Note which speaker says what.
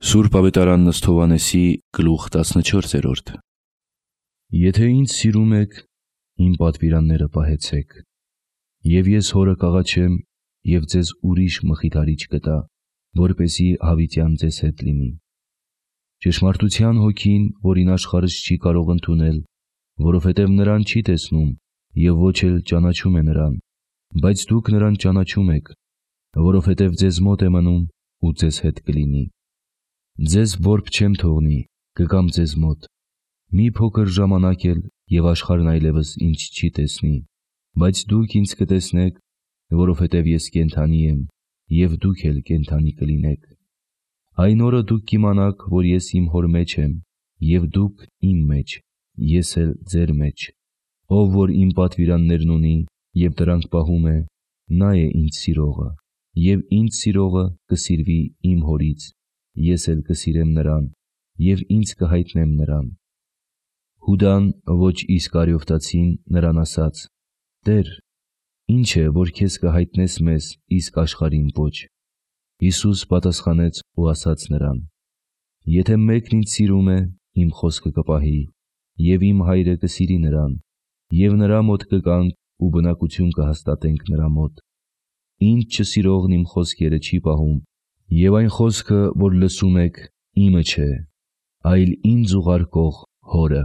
Speaker 1: Սուրբ Ավետարան Ըստ Հովհաննեսի գլուխ 14 Եթե ինձ սիրում եք, իմ պատվիրանները պահեցեք, և ես հորը կաղաչեմ և ձեզ ուրիշ մխիթարիչ կտա, որպեսզի հավիտյան ձեզ հետ լինի։ Ճշմարտության հոգին, որին աշխարհս չի կարող ընդունել, որովհետև նրան չի տեսնում և ոչ էլ ճանաչում է նրան, բայց դուք նրան ճանաչում եք, որովհետև ձեզ մոտ է մնում ու ձեզ հետ կլինի։ Ձեզ որբ չեմ թողնի, կգամ ձեզ մոտ։ Մի փոքր ժամանակ էլ և աշխարհն այլևս ինձ չի տեսնի, բայց դուք ինձ կտեսնեք, որովհետև ես կենդանի եմ, և դուք էլ կենդանի կլինեք։ Այն օրը դուք կիմանաք, որ ես իմ Հոր մեջ եմ, և դուք իմ մեջ, ես էլ ձեր մեջ։ Ով որ իմ պատվիրաններն ունի և դրանք պահում է, նա է ինձ սիրողը, և ինձ սիրողը կսիրվի իմ Հորից, ես էլ կսիրեմ նրան և ինձ կհայտնեմ նրան։ Հուդան ոչ Իսկարիովտացին նրան ասաց. «Տե՛ր, ի՞նչ է, որ քեզ կհայտնես մեզ, իսկ աշխարհին ոչ»։ Հիսուս պատասխանեց ու ասաց նրան. «Եթե մեկն ինձ սիրում է, իմ խոսքը կպահի, և իմ Հայրը կսիրի նրան, և նրա մոտ կգանք ու բնակություն կհաստատենք նրա մոտ։ Ինձ չսիրողն իմ խոսքերը չի պահում, և այն խոսքը, որ լսում եք, իմը չէ, այլ ինձ ուղարկող Հորը»։